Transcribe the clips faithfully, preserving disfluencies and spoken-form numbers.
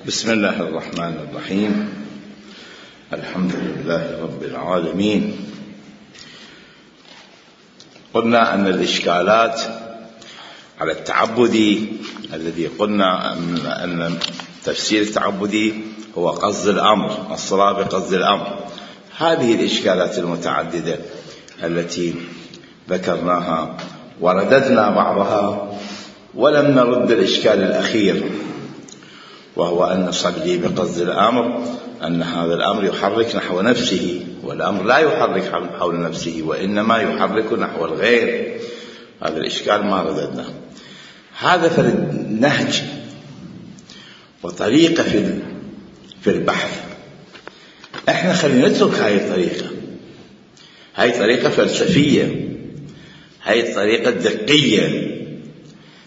بسم الله الرحمن الرحيم. الحمد لله رب العالمين. قلنا أن الإشكالات على التعبدي الذي قلنا أن تفسير التعبدي هو قصد الأمر، الصلاة بقصد الأمر. هذه الإشكالات المتعددة التي ذكرناها ورددنا بعضها ولم نرد الإشكال الأخير، وهو أن نصلي بقصد الأمر، أن هذا الأمر يحرك نحو نفسه، والأمر لا يحرك حول نفسه وإنما يحرك نحو الغير. هذا الإشكال ما رددناه. هذا في النهج وطريقة في في البحث. احنا خلينا نترك هاي الطريقة، هاي طريقة فلسفية، هاي طريقة دقية.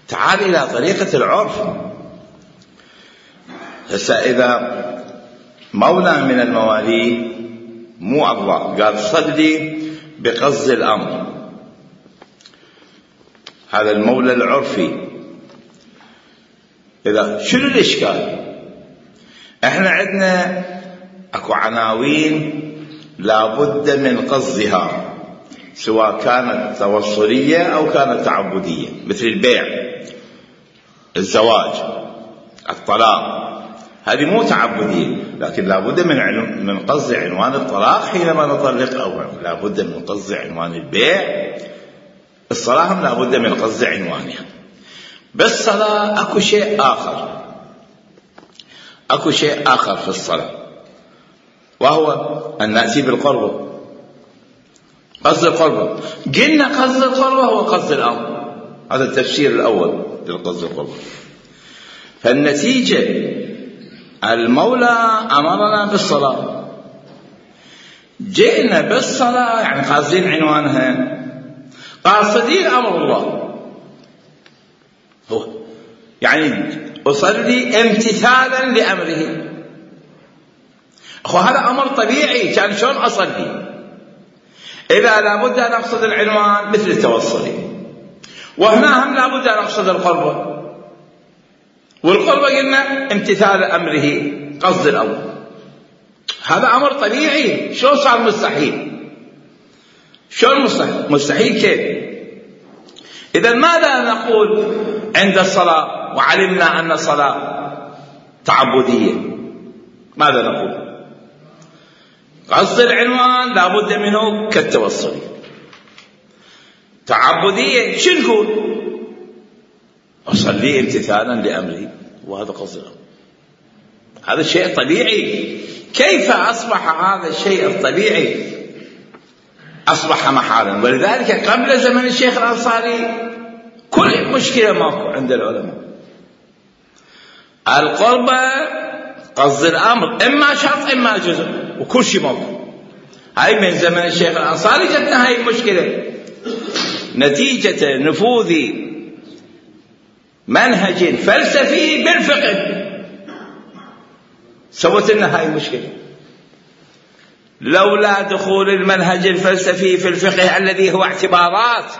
تعال إلى طريقة العرف. هسه إذا مولى من الموالي مو الله قال صلي بقصد الأمر، هذا المولى العرفي، إذا شنو الإشكال؟ احنا عندنا اكو عناوين لابد من قصدها، سواء كانت توصلية أو كانت تعبدية، مثل البيع، الزواج، الطلاق. هذه مو تعبدية، لكن لابد من عنو... من قصد عنوان الطلاق حينما نطلق، أو لابد من قصد عنوان البيع. الصلاة هم لابد من قصد عنوانها. بالصلاة أكو شيء آخر، أكو شيء آخر في الصلاة، وهو أن نأتي بالقربة. قصد القربة، قلنا قصد القربة هو قصد الأمر، هذا التفسير الأول للقصد القربة. فالنتيجة المولى أمرنا بالصلاة، جئنا بالصلاة يعني قاصدين عنوانها، قاصدين أمر الله، هو يعني أصلي امتثالا لأمره. أخو هذا أمر طبيعي، كان شلون أصلي إذا لابد أن أقصد العنوان مثل التوصلي، وهنا هم لابد أن أقصد القربة، والقربة قلنا امتثال أمره، قصد الأمر. هذا أمر طبيعي، شلون صار مستحيل؟ شلون مستحيل؟ مستحيل كيف؟ إذا ماذا نقول عند الصلاة وعلمنا أن الصلاة تعبدية؟ ماذا نقول؟ قصد العنوان لابد منه كالتوصلي. تعبدية شو نقول؟ أصلي امتثالا لأمري، وهذا قصد الأمر. هذا شيء طبيعي. كيف أصبح هذا الشيء الطبيعي أصبح محالا؟ ولذلك قبل زمن الشيخ الأنصاري كل مشكلة ماكو عند العلماء. القربة قصد الأمر إما شرط إما جزء، وكل شيء ماكو. هاي من زمن الشيخ الأنصاري جتنا هاي المشكلة، نتيجة نفوذ منهج فلسفي بالفقه سوت لنا هاي المشكلة. لولا دخول المنهج الفلسفي في الفقه الذي هو اعتبارات،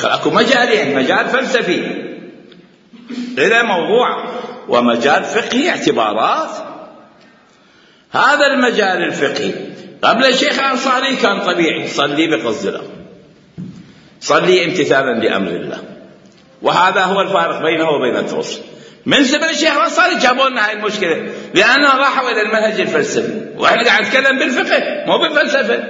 اكو مجالين، مجال فلسفي إلى موضوع، ومجال فقهي اعتبارات. هذا المجال الفقهي قبل الشيخ الأنصاري كان طبيعي، صلي بقصد الأمر، صلي امتثالا لأمر الله، وهذا هو الفارق بينه وبين التوصل. من زمن الشيخ الأنصاري جابوا لنا هاي المشكلة، لأنهم راحوا إلى المنهج الفلسفي، وإحنا قاعد نتكلم بالفقه مو بالفلسفة.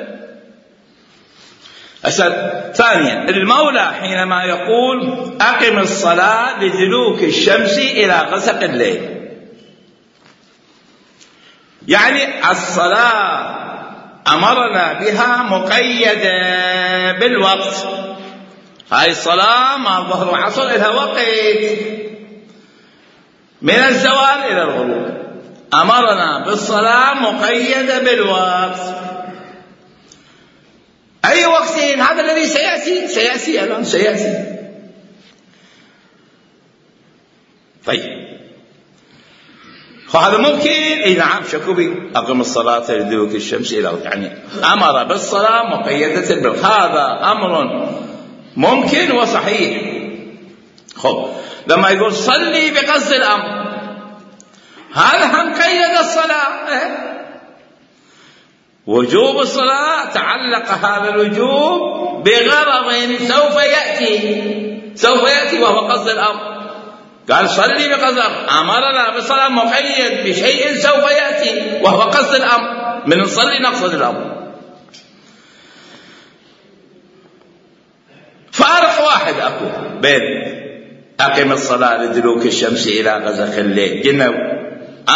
أسأل ثانيا، المولى حينما يقول أقم الصلاة لدلوك الشمس إلى غسق الليل، يعني الصلاة أمرنا بها مقيدة بالوقت. هاي الصلاة ما ظهر وعصر إلى وقت، من الزوال إلى الغروب أمرنا بالصلاة مقيدة بالوقت. أي وقتين؟ هذا الذي سيأتي سيأتي الآن سيأتي. طيب فهذا ممكن؟ اي نعم، شكوبي أقم الصلاة لدلوك الشمس إلى، يعني أمر بالصلاة مقيدة بالوقت، هذا أمر ممكن وصحيح. خب لما يقول صلي بقصد الأمر، هذا هم قيد الصلاة. وجوب الصلاة تعلق هذا الوجوب بغرض سوف يأتي سوف يأتي وهو قصد الأمر. قال صلي بقصد الأمر، أمرنا بالصلاة مقيد بشيء سوف يأتي وهو قصد الأمر، من نصلي نقصد الأمر. فارق واحد أكو بين أقم الصلاة لدلوك الشمس إلى غسق الليل، قلنا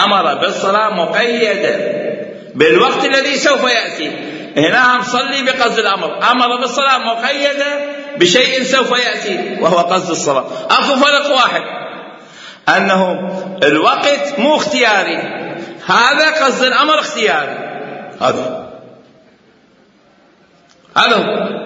أمر بالصلاة مقيدة بالوقت الذي سوف يأتي، هنا نصلي بقصد الأمر، أمر بالصلاة مقيدة بشيء سوف يأتي وهو قصد الصلاة. أكو فرق واحد، أنه الوقت مو اختياري، هذا قصد الأمر اختياري. هذا هذا هو.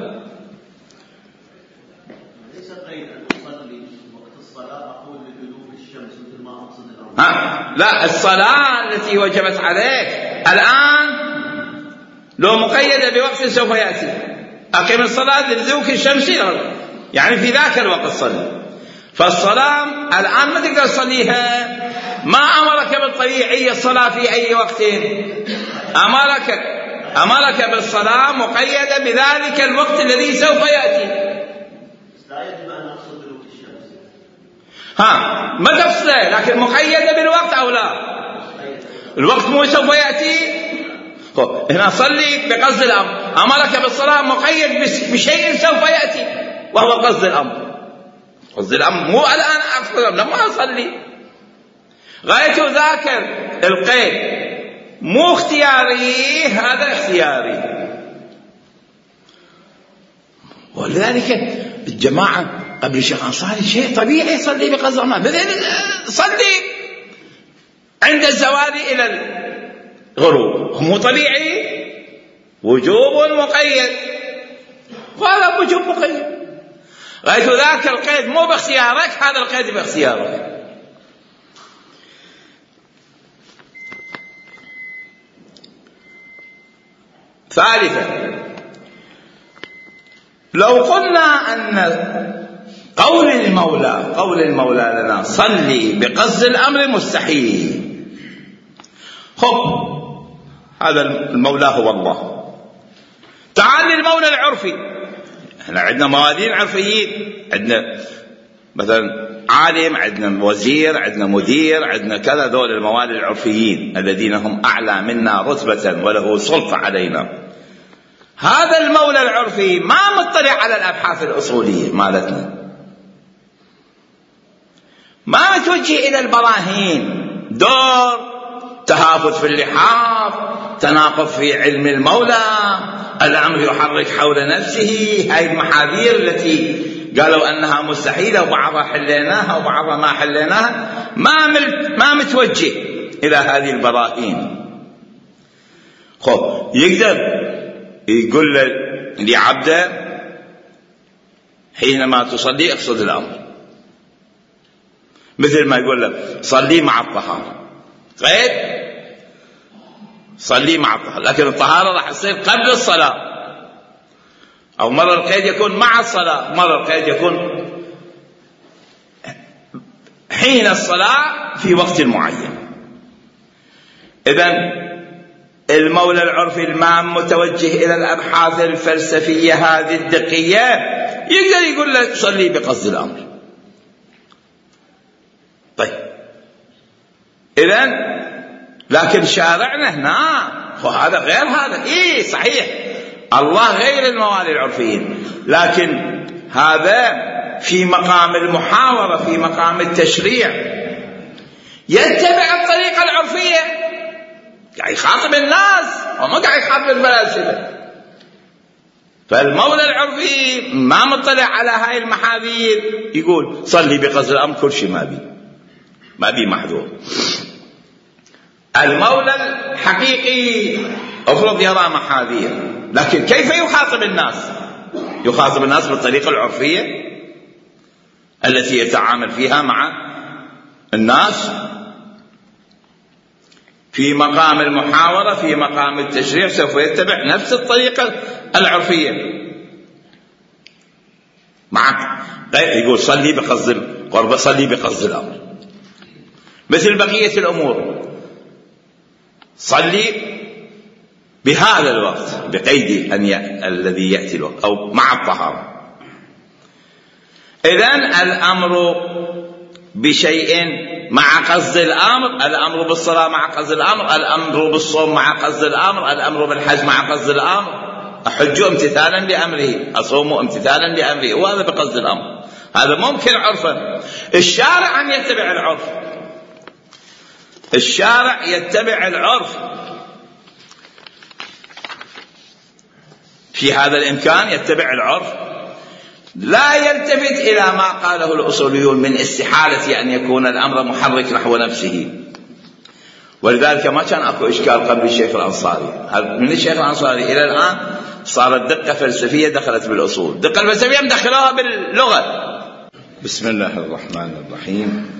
ليس قيد أن أصلي وقت الصلاة أقول لدلوك الشمس مثل ما أقصد الأمر. ها لا، الصلاة التي وجبت عليك الآن لو مقيدة بوقت سوف يأتي، أقم الصلاة لدلوك الشمس، يعني في ذاك الوقت صلي. فالصلاة الآن ما تقدر تصليها، ما أمرك بالطبيعية الصلاة في أي وقت، أمرك أمرك بالصلاة مقيدة بذلك الوقت الذي سوف يأتي. لا يجب أن أقصد دلوك الشمس. ها ما تفصله، لكن مقيدة بالوقت أو لا؟ الوقت مو سوف يأتي. هنا صلي بقصد الأمر، أمرك بالصلاة مقيد بشيء سوف يأتي وهو قصد الأمر. قصد الأمر مو الآن أقصد لما أصلي، غاية ذاك القيد مو اختياري، هذا اختياري. ولذلك الجماعة قبل الشيخ أنصاري شيء طبيعي صلي بقصد الأمر، مثل صلي عند الزوال إلى الغروب، مو طبيعي، وجوب مقيد، وهذا وجوب مقيد. غاية ذاك القيد مو باختيارك، هذا القيد باختيارك. ثالثا، لو قلنا أن قول المولى قول المولى لنا صلي بقصد الأمر مستحيل، خب هذا المولى هو الله. تعال للمولى العرفي، احنا عندنا موالين عرفيين، عندنا مثلا عالم، عندنا وزير، عندنا مدير، عندنا كذا، ذول الموالي العرفيين الذين هم أعلى منا رتبة وله سلطة علينا. هذا المولى العرفي ما مطلع على الأبحاث الأصولية مالتنا، ما متوجه إلى البراهين، دور تهافت في اللحاف، تناقض في علم المولى، الأمر يحرك حول نفسه، هاي المحاذير التي قالوا أنها مستحيلة وبعضها حليناها وبعضها ما حليناها، ما ما متوجه إلى هذه البراهين. خب يقدر يقول لعبده حينما تصلي اقصد الأمر، مثل ما يقول له صلي مع الطهارة، قيد صلي مع الطهارة، لكن الطهارة راح تصير قبل الصلاة، أو مرة القيد يكون مع الصلاة، مرة القيد يكون حين الصلاة في وقت معين. إذن المولى العرفي المام متوجه إلى الأبحاث الفلسفية هذه الدقية، يقدر يقول لك صلي بقصد الأمر. طيب إذن لكن شارعنا هنا وهذا غير هذا، إيه صحيح الله غير الموالي العرفيين، لكن هذا في مقام المحاورة، في مقام التشريع، يتبع الطريقة العرفية، قاعد يخاطب الناس وما قاعد يخاطب الفلاسفة. فالمولى العرفي ما مطلع على هاي المحاذير، يقول صلي بقصد الأمر، كل شيء ما بي ما بي محذور. المولى الحقيقي افرض يرى محاذير، لكن كيف يخاطب الناس؟ يخاطب الناس بالطريقة العرفية التي يتعامل فيها مع الناس في مقام المحاورة، في مقام التشريع سوف يتبع نفس الطريقة العرفية معك. يقول صلي بقصد القرب، صلي بقصد الأمر. مثل بقية الأمور. صلي بهذا الوقت بقيد أن ي... الذي يأتي الوقت أو مع الطهارة. إذن الأمر بشيء مع قصد الأمر، الأمر بالصلاة مع قصد الأمر، الأمر بالصوم مع قصد الأمر، الأمر بالحج مع قصد الأمر. أحج امتثالا لأمره، أصوم امتثالا لأمره، وهذا بقصد الأمر. هذا ممكن عرفا. الشارع أن يتبع العرف، الشارع يتبع العرف في هذا الإمكان، يتبع العرف، لا يلتفت إلى ما قاله الأصوليون من استحالة أن يكون الأمر محرك نحو نفسه. ولذلك ما كان أكو إشكال قبل الشيخ الأنصاري. من الشيخ الأنصاري إلى الآن صارت دقة فلسفية دخلت بالأصول، دقة الفلسفية مدخلوها باللغة. بسم الله الرحمن الرحيم.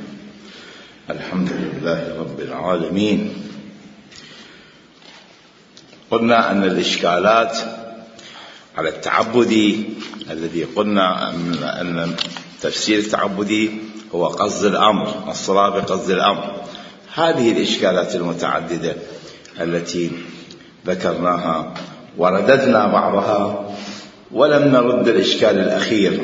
الحمد لله رب العالمين. قلنا أن الإشكالات على التعبدي الذي قلنا أن تفسير التعبدي هو قصد الأمر، الصلاة بقصد الأمر. هذه الإشكالات المتعددة التي ذكرناها ورددنا بعضها ولم نرد الإشكال الأخير،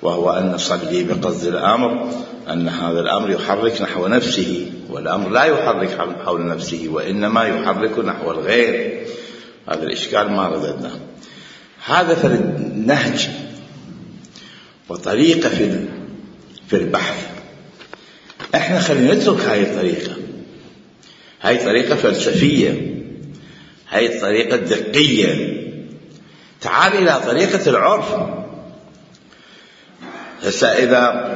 وهو أن نصلي بقصد الأمر، أن هذا الأمر يحرك نحو نفسه، والأمر لا يحرك حول نفسه وإنما يحرك نحو الغير. هذا الإشكال ما رددناه. هذا فرد نهج وطريقة في في البحث. احنا خلينا نترك هاي الطريقة، هاي طريقة فلسفية، هاي الطريقة دقية. تعال إلى طريقة العرف. هسه إذا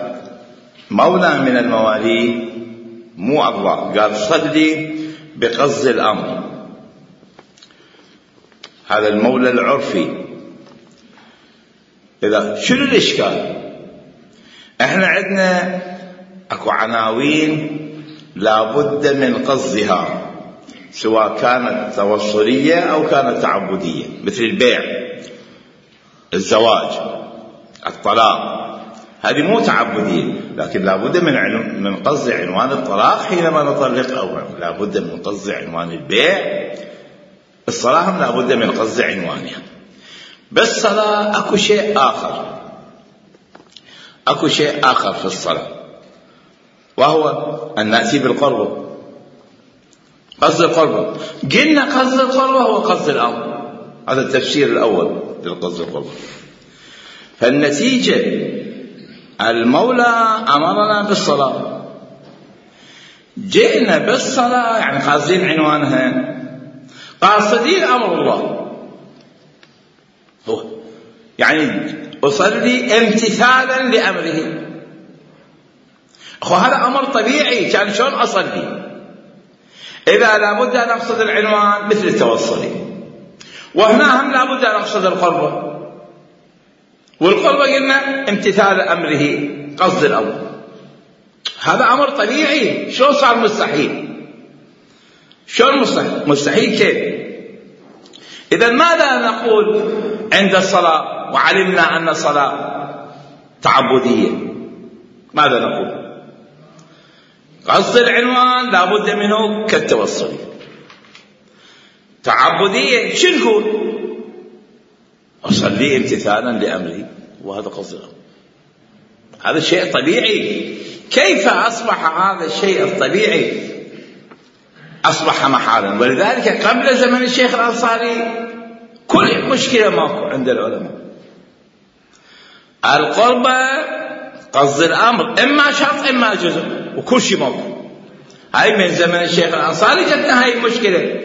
مولى من الموالي مو الله قال صلي بقصد الأمر، هذا المولى العرفي، إذا شنو الإشكال؟ احنا عندنا اكو عناوين لابد من قصدها، سواء كانت توصلية أو كانت تعبدية، مثل البيع، الزواج، الطلاق. هذه مو تعبدية، لكن لابد من عنو... من قصد عنوان الطلاق حينما نطلق، أو لابد من قصد عنوان البيع. الصلاة هم لابد من قصد عنوانها. بالصلاة أكو شيء آخر، أكو شيء آخر في الصلاة، وهو أن نأتي بالقربة. قصد القربة قلنا قصد القربة هو قصد الأمر، هذا التفسير الأول للقصد القربة. فالنتيجة المولى أمرنا بالصلاة، جئنا بالصلاة يعني قاصدين عنوانها، قاصدين أمر الله، هو يعني أصلي امتثالا لأمره. أخو هذا أمر طبيعي، كان شلون أصلي؟ إذا لابد أن أقصد العنوان مثل التوصلي، وهنا هم لابد أن أقصد القربة، والقربة قلنا امتثال أمره، قصد الأمر. هذا أمر طبيعي، شلون صار مستحيل؟ شلون مستحيل؟ مستحيل كيف؟ إذا ماذا نقول عند الصلاة وعلمنا أن الصلاة تعبدية؟ ماذا نقول؟ قصد العنوان لابد منه كالتوصلي. تعبدية شو نقول؟ أصلي امتثالا لأمري، وهذا قصد الأمر. هذا شيء طبيعي. كيف أصبح هذا الشيء الطبيعي أصبح محالا؟ ولذلك قبل زمن الشيخ الأنصاري كل مشكلة ماكو عند العلماء. القربة قصد الأمر إما شرط إما جزء، وكل شيء ماكو. هاي من زمن الشيخ الأنصاري جتنا هاي المشكلة،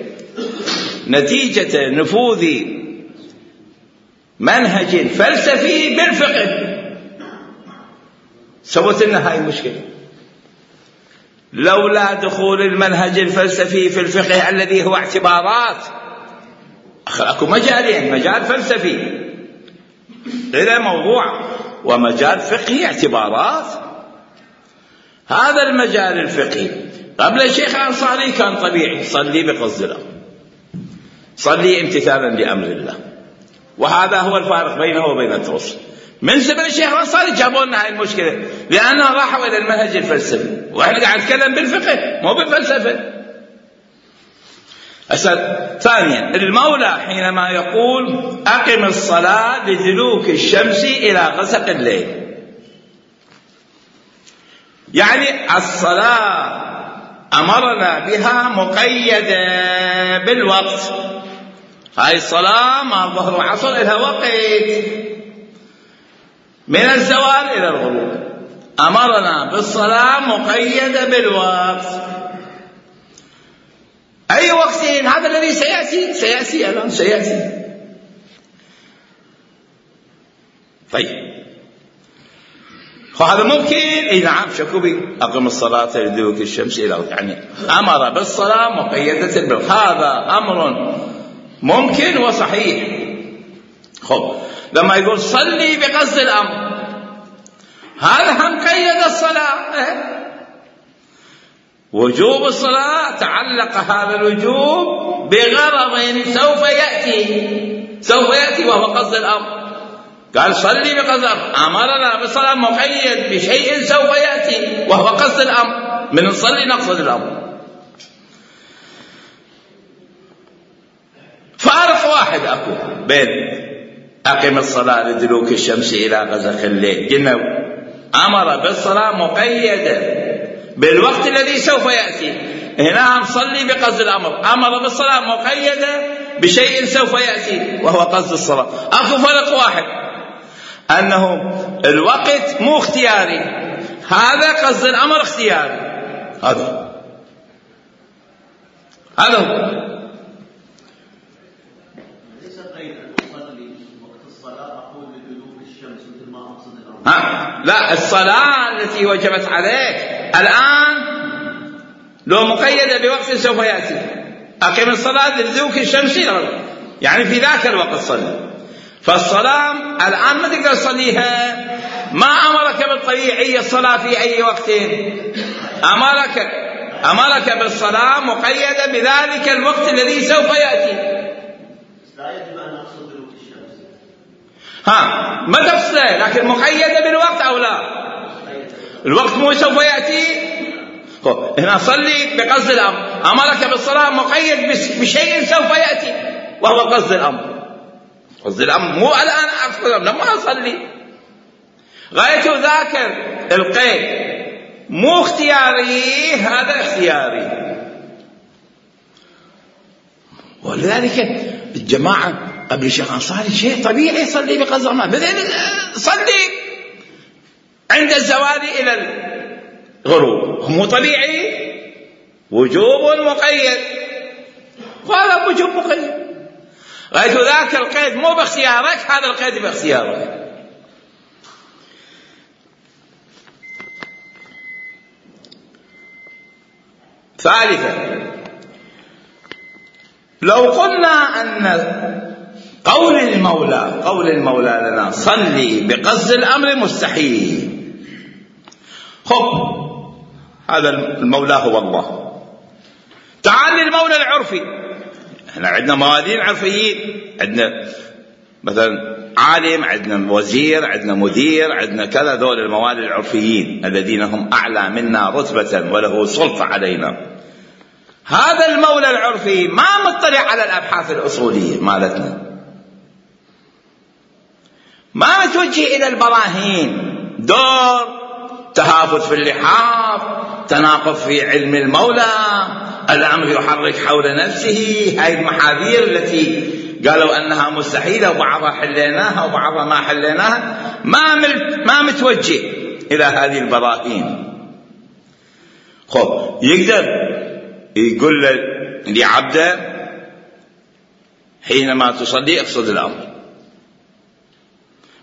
نتيجة نفوذ منهج فلسفي بالفقه سوت لنا هاي المشكلة. لولا دخول المنهج الفلسفي في الفقه الذي هو اعتبارات، أكو مجالين، مجال فلسفي إلى موضوع، ومجال فقهي اعتبارات. هذا المجال الفقهي قبل الشيخ الأنصاري كان طبيعي، صلي بقصد الأمر، صلي امتثالا لأمر الله، وهذا هو الفارق بينه وبين التوصل. من زمن الشيخ الأنصاري جابوا لنا هاي المشكلة، لأنهم راحوا إلى المنهج الفلسفي، وإحنا قاعد نتكلم بالفقه مو بالفلسفة. ثانيا، المولى حينما يقول أقم الصلاة لدلوك الشمس إلى غسق الليل، يعني الصلاة أمرنا بها مقيدة بالوقت. هاي الصلاة ما ظهر وعصر إلها وقت، من الزوال إلى الغروب أمرنا بالصلاة مقيدة بالوقت. أي وقت؟ هذا الذي سيأتي سيأتي الآن سيأتي. طيب هذا ممكن؟ اي نعم، شكوبي أقم الصلاة لدلوك الشمس إلى، يعني أمر بالصلاة مقيدة بالوقت، هذا أمر ممكن وصحيح. خب لما يقول صلي بقصد الأمر، هذا هم قيد الصلاة. وجوب الصلاة تعلق هذا الوجوب بغرض سوف يأتي سوف يأتي وهو قصد الأمر. قال صلي بقصد الأمر، أمرنا بالصلاة مقيد بشيء سوف يأتي وهو قصد الأمر، من نصلي نقصد الأمر. فارق واحد أكو بين أقم الصلاة لدلوك الشمس إلى غسق الليل، قلنا أمر بالصلاة مقيدة بالوقت الذي سوف يأتي، هنا نصلي بقصد الأمر، أمر بالصلاة مقيدة بشيء سوف يأتي وهو قصد الصلاة. أكو فرق واحد، أنه الوقت مو اختياري، هذا قصد الأمر اختياري. هذا هذا هو. ها لا، الصلاة التي وجبت عليك الآن لو مقيدة بوقت سوف يأتي، أقم الصلاة لدلوك الشمس، يعني في ذاك الوقت صلي. فالصلاة الآن ما تقدر تصليها، ما أمرك بالطبيعية الصلاة في أي وقت، أمرك أمرك بالصلاة مقيدة بذلك الوقت الذي سوف يأتي. لا يجب أن أقصد دلوك الشمس، ها ما تفصله، لكن مقيدة بالوقت أو لا؟ الوقت مو سوف يأتي. هنا صلي بقصد الأمر، أمرك بالصلاة مقيد بشيء سوف يأتي وهو قصد الأمر. قصد الأمر مو الآن أقصد لما أصلي، غايته ذاك القيد، مو اختياري، هذا اختياري. ولذلك الجماعة قبل الشيخ الأنصاري شيء طبيعي، صلي بقصد الأمر، مثل صلي عند الزوال إلى الغروب، مو طبيعي، وجوب مقيد، وهذا وجوب مقيد. غاية ذاك القيد مو باختيارك، هذا القيد باختيارك. ثالثا، لو قلنا أن قول المولى قول المولى لنا صلي بقصد الأمر مستحيل، خب هذا المولى هو الله. تعال للمولى العرفي، احنا عندنا موالين عرفيين، عندنا مثلا عالم، عندنا وزير، عندنا مدير، عندنا كذا، ذول الموالي العرفيين الذين هم أعلى منا رتبة وله سلطة علينا. هذا المولى العرفي ما مطلع على الأبحاث الأصولية مالتنا، ما متوجه إلى البراهين، دور تهافت في اللحاف، تناقض في علم المولى، الأمر يحرك حول نفسه، هاي المحاذير التي قالوا أنها مستحيلة وبعضها حليناها وبعضها ما حليناها، ما ما متوجه إلى هذه البراهين. خب يقدر يقول لعبده حينما تصلي اقصد الأمر،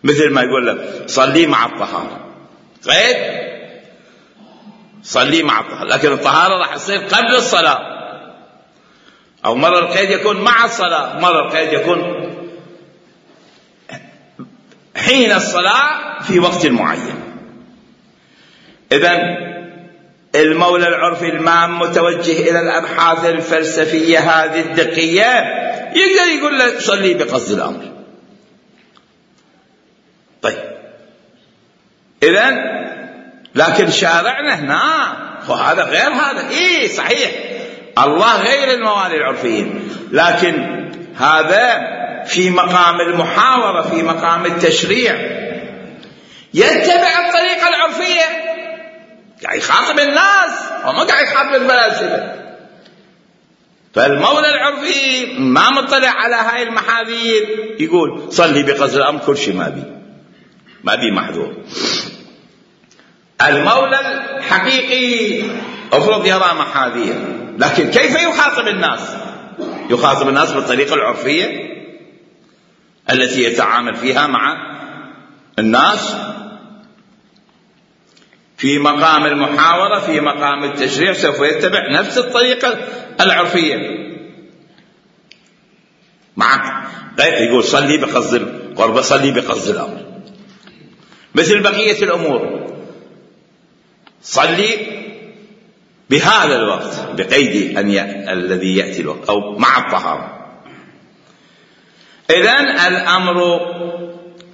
مثل ما يقول له صلي مع الطهارة، قيد صلي مع الطهارة، لكن الطهارة راح تصير قبل الصلاة، أو مرة القيد يكون مع الصلاة، مرة القيد يكون حين الصلاة في وقت معين. إذن المولى العرفي المام متوجه إلى الأبحاث الفلسفية هذه الدقية، يقدر يقول له صلي بقصد الأمر. طيب إذن لكن شارعنا هنا وهذا غير هذا. إيه صحيح الله غير الموالي العرفيين، لكن هذا في مقام المحاورة، في مقام التشريع، يتبع الطريقة العرفية، قاعد يخاطب الناس وما قاعد يخاطب الفلاسفة. فالمولى العرفي ما مطلع على هاي المحاذير، يقول صلي بقصد الأمر كل شيء ما بي ما بي محذور. المولى الحقيقي افرض يرى محاذير، لكن كيف يخاطب الناس؟ يخاطب الناس بالطريقة العرفية التي يتعامل فيها مع الناس في مقام المحاورة، في مقام التشريع سوف يتبع نفس الطريقة العرفية. مع يقول صلي بقصد القرب، صلي بقصد الأمر، مثل بقية الأمور صلي بهذا الوقت بقيد أن ي... الذي يأتي الوقت أو مع الطهارة. إذن الأمر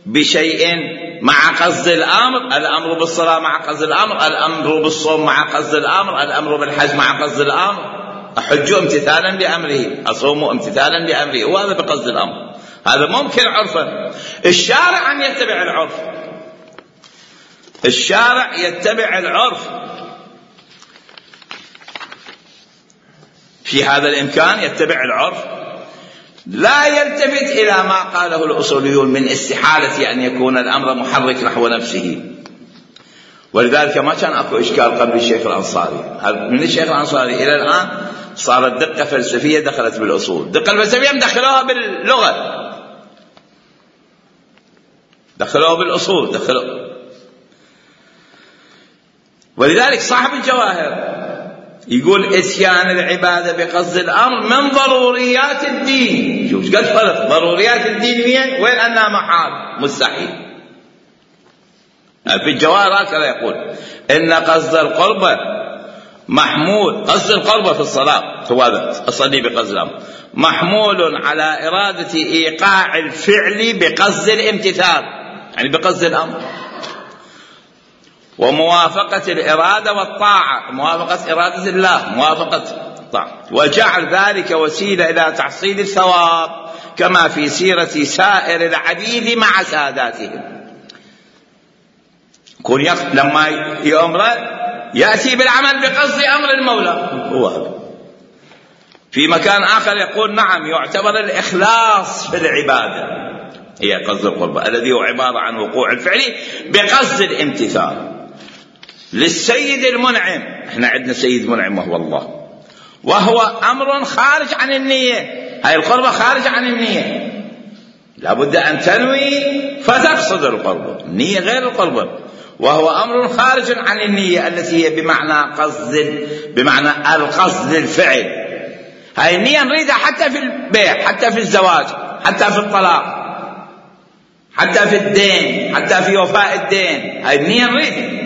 بشيء مع قصد الأمر، الأمر بالصلاة مع قصد الأمر، الأمر بالصوم مع قصد الأمر، الأمر بالحج مع قصد الأمر. أحج امتثالا لأمره، أصوم امتثالا لأمره، وهذا بقصد الأمر. هذا ممكن عرفا. الشارع أن يتبع العرف، الشارع يتبع العرف في هذا الإمكان، يتبع العرف، لا يلتفت إلى ما قاله الأصوليون من استحالة أن يكون الأمر محرك نحو نفسه. ولذلك ما كان أكو إشكال قبل الشيخ الأنصاري. من الشيخ الأنصاري إلى الآن صارت دقة فلسفية دخلت بالأصول، دقة الفلسفية مدخلوها باللغة، دخلوها بالأصول، دخلوها. ولذلك صاحب الجواهر يقول إتيان العبادة بقصد الأمر من ضروريات الدين. شوف قد فرق ضروريات الدين وين؟ وين أنها محال مستحيل. في الجواهر هكذا يقول إن قصد القربة محمول، قصد القربة في الصلاة هو هذا أصلي بقصد الأمر، محمول على إرادة إيقاع الفعل بقصد الامتثال، يعني بقصد الأمر، وموافقة الإرادة والطاعة، موافقة إرادة الله، موافقة الطاعة، وجعل ذلك وسيلة إلى تحصيل الثواب كما في سيرة سائر العبيد مع ساداتهم. كون لما يأمر يأتي بالعمل بقصد أمر المولى هو هذا. في مكان آخر يقول نعم يعتبر الإخلاص في العبادة هي قصد القربة الذي هو عبارة عن وقوع الفعل بقصد الامتثال للسيد المنعم. احنا عندنا سيد منعم وهو الله، وهو أمر خارج عن النية. هاي القربة خارج عن النية، لابد أن تنوي فتقصد القربة، النية غير القربة، وهو أمر خارج عن النية التي هي بمعنى قصد، بمعنى القصد الفعل. هاي النية نريدها حتى في البيع، حتى في الزواج، حتى في الطلاق، حتى في الدين، حتى في وفاء الدين. هاي النية نريدها،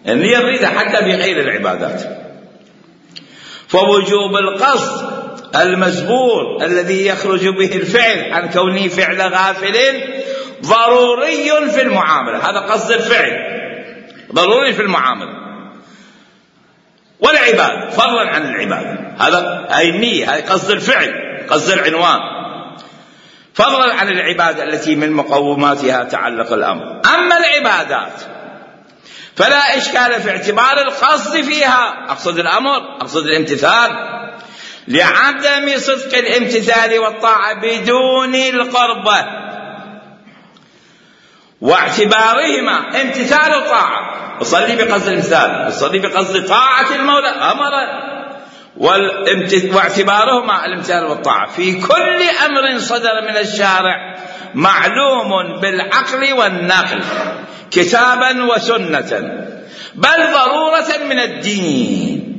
النية نريدها حتى في غير العبادات. فوجوب القصد المزبور الذي يخرج به الفعل عن كونه فعل غافل ضروري في المعاملة. هذا قصد الفعل ضروري في المعاملة والعبادة فضلا عن العبادة. هذا هاي النية، هاي قصد الفعل، قصد العنوان فضلا عن العبادة التي من مقوماتها تعلق الأمر. أما العبادات فلا إشكال في اعتبار القصد فيها، أقصد الأمر، أقصد الامتثال، لعدم صدق الامتثال والطاعة بدون القربة، واعتبارهما امتثال وطاعة. أصلي بقصد الامتثال، أصلي بقصد طاعة المولى أمر، واعتبارهما الامتثال والطاعة في كل أمر صدر من الشارع معلوم بالعقل والنقل كتابا وسنة، بل ضرورة من الدين.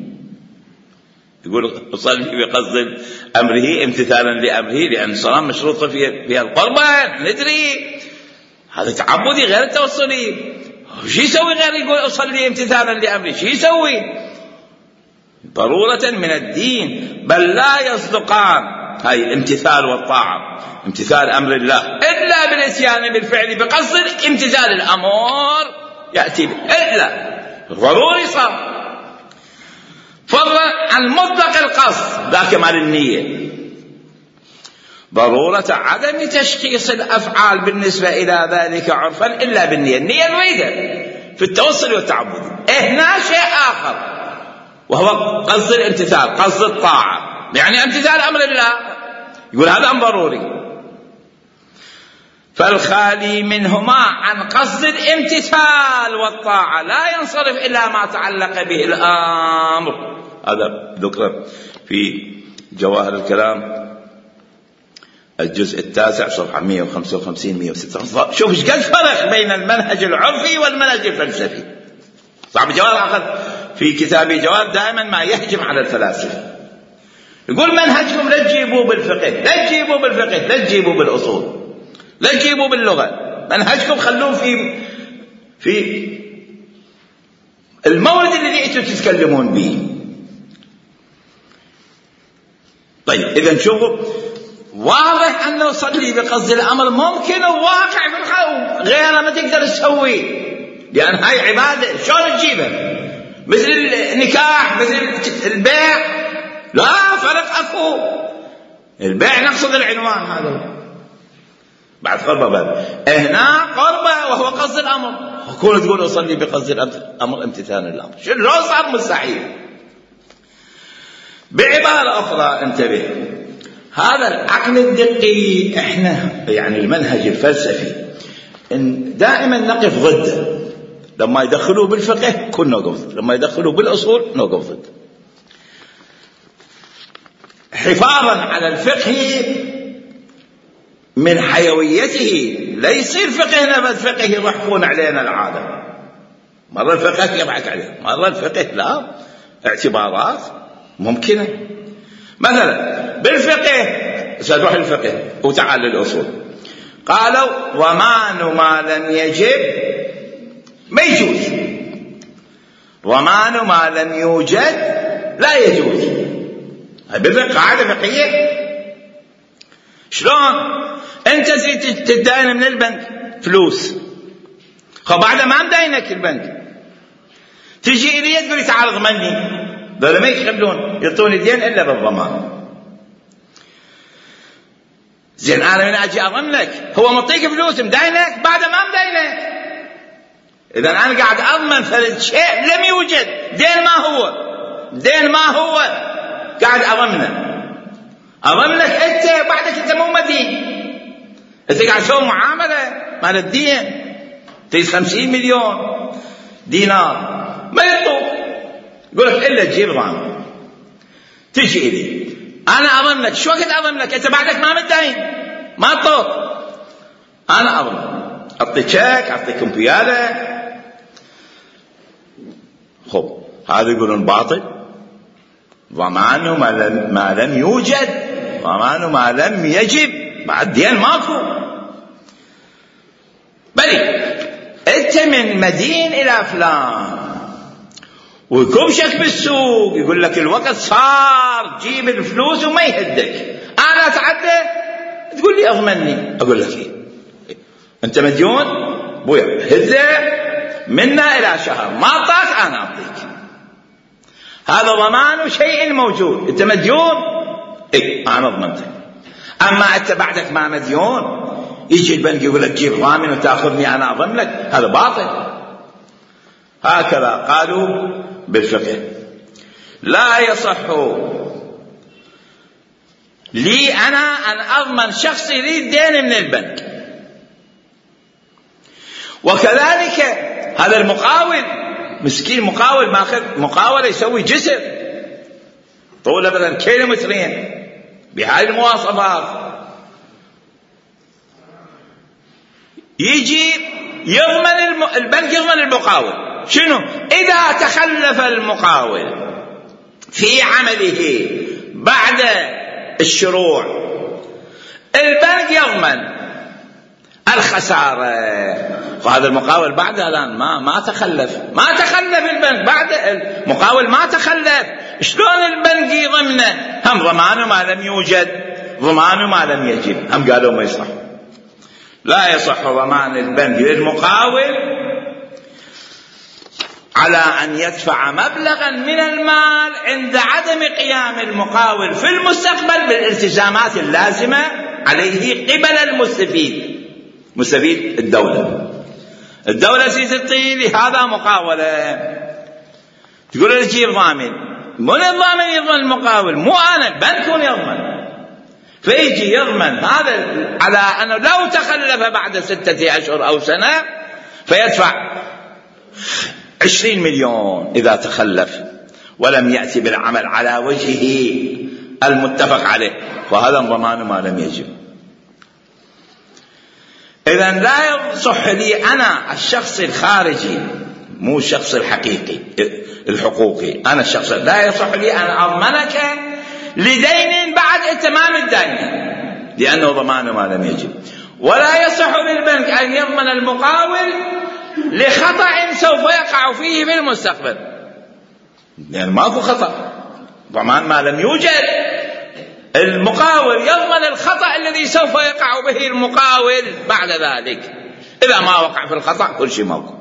يقول أصلي بقصد أمره امتثالا لأمره، لأن الصلاة مشروطة فيها القربان، ندري هذا تعبدي غير التوصلي. شو يسوي غير يقول أصلي امتثالا لأمره؟ شو يسوي؟ ضرورة من الدين، بل لا يصدقان هاي الامتثال والطاعة، امتثال أمر الله، إلا بالاتيان بالفعل بقصد امتثال الأمر يأتي به، إلا ضروري صار. فضلا عن مطلق القصد ذاك مال النية، ضرورة عدم تشخيص الأفعال بالنسبة إلى ذلك عرفا إلا بالنية. النية نريدها في التوصل والتعبد. هنا شيء آخر وهو قصد الامتثال، قصد الطاعة، يعني امتثال أمر الله، يقول هذا أمر ضروري. فالخالي منهما عن قصد الامتثال والطاعة لا ينصرف إلا ما تعلق به الأمر. هذا ذكر في جواهر الكلام الجزء التاسع صفحة مئة وخمسة وخمسين مئة وستة. شوف ايش قد فرق بين المنهج العرفي والمنهج الفلسفي. صاحب جواهر العقل في كتابه جواهر دائما ما يهجم على الفلاسفة، يقول منهجكم لا تجيبوه بالفقه، لا تجيبوه بالفقه، لا تجيبوه بالأصول، لا تجيبوه باللغة، منهجكم خلوه في في المورد الذي انتم تتكلمون به. طيب إذا شوفوا، واضح أنه صلي بقصد الأمر ممكن وواقع في الخوف، غير ما تقدر تسويه، لأن هاي عبادة شلون تجيبها؟ مثل النكاح، مثل البيع، لا فرق أكو. البيع نقصد العنوان هذا بعد قربة، بعد هنا قربة وهو قصد الأمر، كون تقول أصلي بقصد الأمر امتثال الأمر، شو صار مستحيل. بعبارة أخرى انتبه، هذا العقل الدقي احنا يعني المنهج الفلسفي إن دائما نقف ضده. لما يدخلوه بالفقه كنا نوقف ضد، لما يدخلوه بالأصول نوقف ضد، حفاظا على الفقه من حيويته. لا يصير فقهنا بس فقه يضحكون علينا العالم، مرة الفقه يضحك عليه، مرة الفقه لا، اعتبارات ممكنة. مثلا بالفقه سنروح الفقه وتعال للأصول، قالوا ضمان ما لم يجب ما يجوز، ضمان ما لم يوجد لا يجوز. هاي بالفقه قاعدة فقهية. شلون انت تدين من البنك فلوس، خب بعد ما مدينك البنك تجي الي تقول لي تعال اضمني، دول ما يخلون يعطوني دين الا بالضمان. زين انا من اجي اضمنك، هو مطيك فلوس مدينك بعد ما مدينك، اذا انا قاعد اضمن فرد شيء لم يوجد، دين ما هو، دين ما هو قاعد اضمنه، اضمنك انت بعدك انت مو مدين، انت قاعد تسوي معامله مال الدين تيس خمسين مليون دينار ما يعطوك، يقول لك الا تجيب ضامن. تجي لي انا اضمنك، شو وقت اضمنك؟ انت بعدك ما مدين، ما طوط، انا اضمن، اعطيك شيك، اعطيكم بياله. خب هذا يقولون باطل، ضمانه ما لم, ما لم يوجد، ضمانه ما لم يجب، بعد دين ماكو. بلي انت من مدين الى فلان ويكبشك بالسوق، يقول لك الوقت صار جيب الفلوس وما يهدك، انا اتعدى تقول لي اضمني، اقول لك ايه انت مديون بويا، هده منا الى شهر، ما اعطاك انا اعطيك، هذا ضمان شيء موجود، انت مديون اي انا ضمنتك. اما انت بعدك ما مديون يجي البنك يقول لك جيب ضامن وتاخذني انا اضمن لك، هذا باطل. هكذا قالوا بالفقه. لا يصح لي انا ان اضمن شخص يريد دين من البنك، وكذلك هذا المقاول مسكين، مقاول ماخذ مقاولة يسوي جسر طوله مثلا كيلومترين بهاي المواصفات، يجي يضمن البنك، يضمن المقاول. شنو؟ إذا تخلف المقاول في عمله بعد الشروع البنك يضمن الخسارة. وهذا المقاول بعد الآن ما ما تخلف، ما تخلف البنك، بعد المقاول ما تخلف، شلون البنك يضمنه؟ هم ضمانه ما لم يوجد، ضمانه ما لم يجب، هم قالوا ما يصح. لا يصح ضمان البنك للمقاول على أن يدفع مبلغا من المال عند عدم قيام المقاول في المستقبل بالالتزامات اللازمة عليه قبل المستفيد. مستفيد الدولة. الدولة تعطي لهذا مقاولة، تقول له جيب ضامن، من الضامن يضمن المقاول؟ مو أنا، البنك يضمن. فيجي يضمن هذا على أنه لو تخلف بعد ستة أشهر أو سنة فيدفع عشرين مليون إذا تخلف ولم يأتي بالعمل على وجهه المتفق عليه، وهذا ضمان ما لم يجب. إذن لا يصح لي أنا الشخص الخارجي، مو الشخص الحقيقي الحقوقي، أنا الشخص لا يصح لي أن أضمنك لدين بعد اتمام الدين لأنه ضمان ما لم يجب. ولا يصح للبنك أن يضمن المقاول لخطأ سوف يقع فيه في المستقبل، يعني ماكو خطأ، ضمان ما لم يوجد. المقاول يضمن الخطأ الذي سوف يقع به المقاول بعد ذلك. إذا ما وقع في الخطأ كل شيء موجود.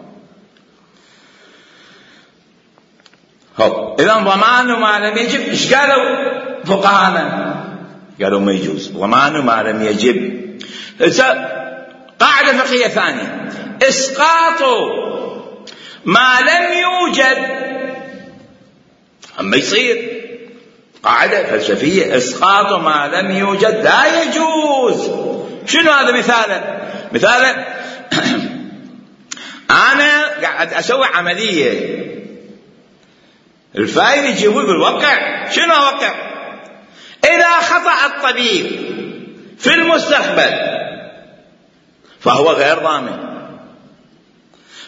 إذا ضمان ما لم يجب، إيش قالوا فقهانا؟ قالوا ما يجوز ضمان ما لم يجب. قاعدة فقهية ثانية: إسقاط ما لم يوجد. أما يصير قاعدة فلسفية: إسقاط ما لم يوجد لا يجوز. شنو هذا مثاله؟ مثاله أنا قاعد أسوي عملية، الفايل يجي يقول وقع. شنو وقع؟ إذا خطأ الطبيب في المستقبل فهو غير ضامن،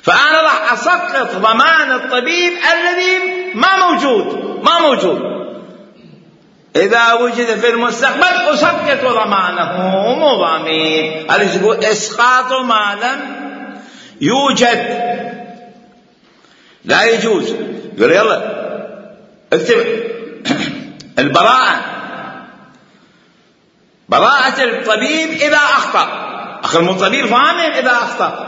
فأنا راح أسقط ضمان الطبيب الذي ما موجود ما موجود إذا وجد في المستقبل أسقط ضمانه، مو ضامن. هذا يقول إسقاط ما لم يوجد لا يجوز. يقول يلا اكتب البراءة، براءة الطبيب إذا أخطأ. أخي الطبيب ضامن إذا أخطأ.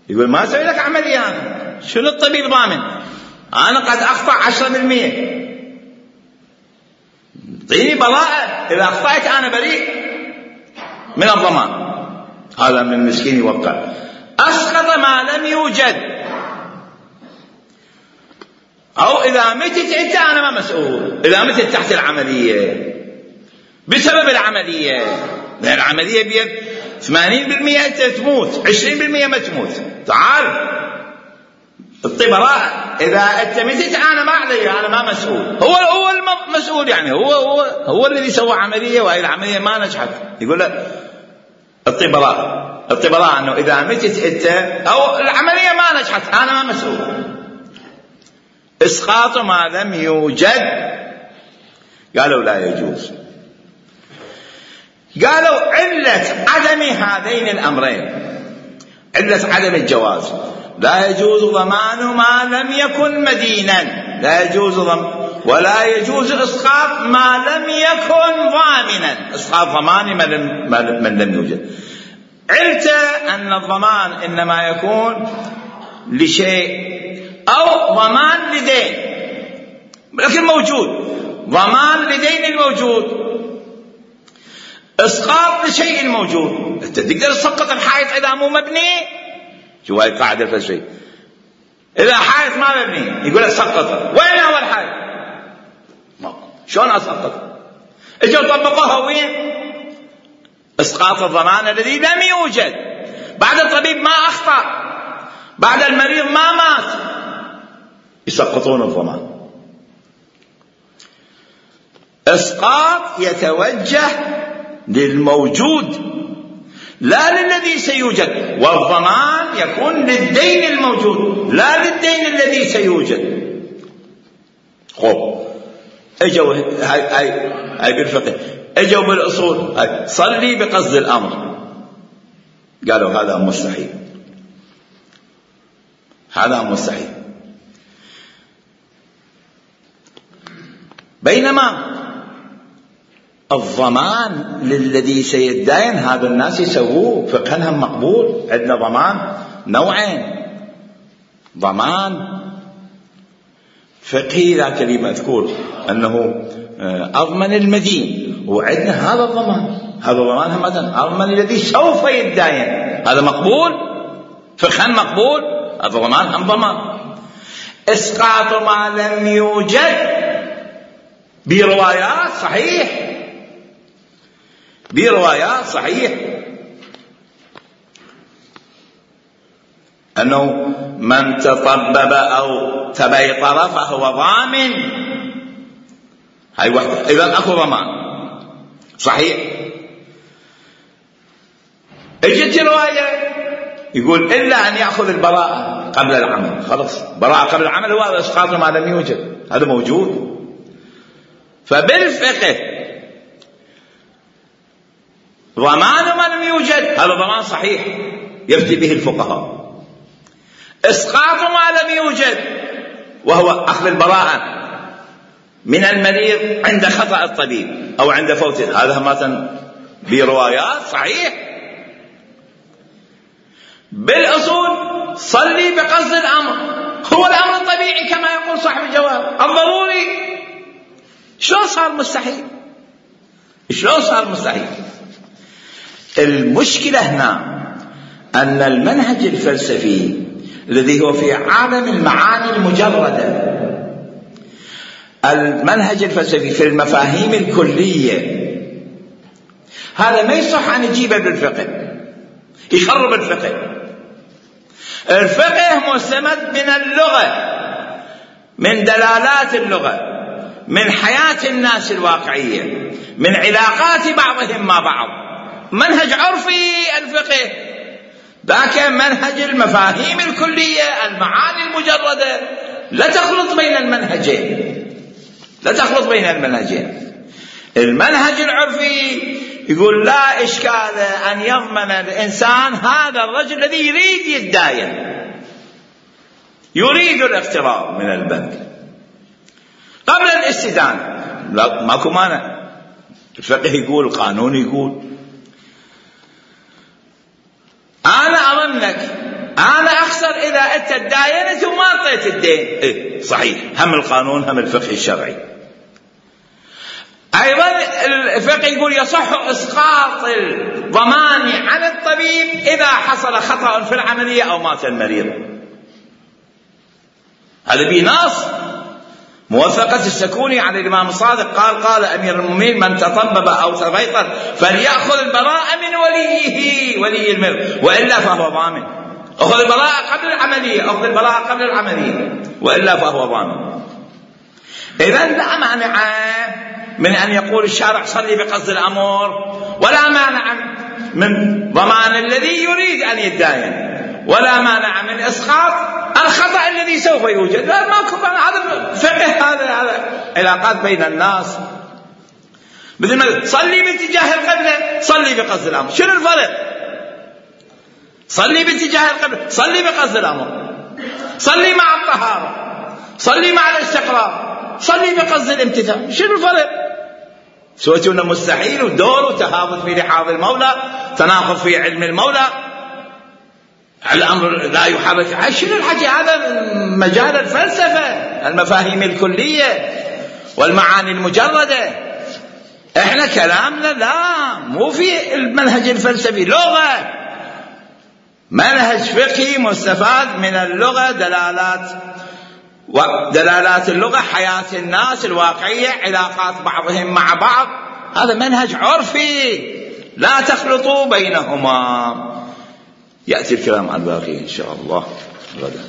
يقول ما أسوي لك عملية أنا، شنو الطبيب ضامن؟ أنا قد أخطأ عشرة بالمئة، اعطيني براءة، إذا أخطأت أنا بريء من الضمان. هذا من المسكين يوقع. أسقط ما لم يوجد، أو إذا متت أنت أنا ما مسؤول. إذا متت تحت العملية بسبب العملية، لأن العملية بيد ثمانين بالمئة أنت تموت، عشرين بالمئة ما تموت، تعال الطبراء. إذا أنت متت أنا ما علي، أنا ما مسؤول. هو هو المسؤول، يعني هو هو هو الذي سوى عملية وهي العملية ما نجحت. يقول لك الطبراء الطبراء أنه إذا متت أنت أو العملية ما نجحت أنا ما مسؤول. إسقاط ما لم يوجد قالوا لا يجوز. قالوا علة عدم هذين الأمرين، علة عدم الجواز: لا يجوز ضمان ما لم يكن مدينا، لا يجوز ضمان، ولا يجوز إسقاط ما لم يكن ضامنا، إسقاط ضمان من لم يوجد. علة أن الضمان إنما يكون لشيء أو ضمان لدين، لكن موجود ضمان لدين الموجود، إسقاط لشيء موجود. أنت تقدر تسقط الحائط إذا مو مبني؟ شو هاي القاعدة الفلسفية. إذا حائط ما مبني يقول لك سقطه، وين هو الحائط؟ شلون أسقطه؟ إجوا طبقوها وين؟ إسقاط الضمان الذي لم يوجد. بعد الطبيب ما أخطأ، بعد المريض ما مات، يسقطون الضمان. إسقاط يتوجه للموجود لا للذي سيوجد، والضمان يكون للدين الموجود لا للدين الذي سيوجد. خب اجوا هاي هاي هاي بالفقه، اجوا بالاصول هاي صلي بقصد الامر، قالوا هذا مستحيل، هذا مستحيل. بينما الضمان للذي سيدين هذا الناس يسووه فقههم مقبول. عندنا ضمان نوعين: ضمان فقهي ذاك اللي مذكور أنه أضمن المدين، وعندنا هذا الضمان، هذا الضمان هم أضمن الذي سوف يتداين، هذا مقبول فقها مقبول، هذا ضمان هم ضمان. إسقاط ما لم يوجد بروايات صحيح، بروايات صحيح أنه من تطبب أو تبيطر فهو ضامن، هاي وحدة، إذن أكو ضمان صحيح. اجت رواية يقول إلا أن يأخذ البراءة قبل العمل، خلاص براءة قبل العمل هو إسقاط ما لم يوجد، هذا موجود. فبالفقه ضمان ما لم يوجد هذا ضمان صحيح يفتي به الفقهاء. إسقاط ما لم يوجد وهو أخذ البراءة من المريض عند خطأ الطبيب أو عند فوته، هذا مثلا بروايات صحيح. بالأصول صلي بقصد الأمر، هو الأمر الطبيعي كما يقول صاحب الجواب الضروري، شلون صار مستحيل؟ شلون صار مستحيل؟ المشكلة هنا أن المنهج الفلسفي الذي هو في عالم المعاني المجردة، المنهج الفلسفي في المفاهيم الكلية، هذا ما يصح أن يجيبه بالفقه، يخرب الفقه. الفقه مستمد من اللغة، من دلالات اللغة، من حياة الناس الواقعية، من علاقات بعضهم مع بعض، منهج عرفي الفقه، ذاك منهج المفاهيم الكلية المعاني المجردة، لا تخلط بين المنهجين، لا تخلط بين المنهجين. المنهج العرفي يقول لا إشكال أن يضمن الإنسان هذا الرجل الذي يريد يتداين، يريد الاقتراض من البنك قبل الاستدانة، لا ماكو مانع. الفقه يقول، القانون يقول أنا أضمنك، أنا أخسر إذا أنت تداينت وما أعطيت الدين. إيه صحيح، هم القانون هم الفقه الشرعي. أيضا الفقه يقول يصح إسقاط الضمان عن الطبيب إذا حصل خطأ في العملية أو مات المريض، هذا بنص. موثقة السكوني عن الإمام الصادق قال قال أمير المؤمنين من تطبب أو تبيطر فليأخذ البراءة من وليه، ولي المرض، وإلا فهو ضامن. أخذ البراءة قبل العملية، أخذ البراءة قبل العملية، وإلا فهو ضامن. إذن لا مانع من أن يقول الشارع صلي بقصد الأمر، ولا مانع من ضمان الذي يريد أن يتداين، ولا مانع من إسقاط الخطأ الذي سوف يوجد. لا ماكو، هذا فقه، هذا هذا علاقات بين الناس. مثل ما صلي باتجاه القبلة صلي بقصد الأمر، شنو الفرق؟ صلي باتجاه القبلة صلي بقصد الأمر، صلي مع الطهارة، صلي مع الاستقرار، صلي بقصد الامتثال، شنو الفرق؟ سويتونا مستحيل ودور وتهاوت في لحاظ المولى، تناقض في علم المولى، الأمر لا يحرك. شنو الحكي هذا؟ مجال الفلسفة، المفاهيم الكلية والمعاني المجردة. احنا كلامنا لا مو في المنهج الفلسفي، لغة، منهج فقهي مستفاد من اللغة، دلالات ودلالات اللغة، حياة الناس الواقعية، علاقات بعضهم مع بعض، هذا منهج عرفي لا تخلطوا بينهما. يأتي الكلام عن باقي إن شاء الله غدا.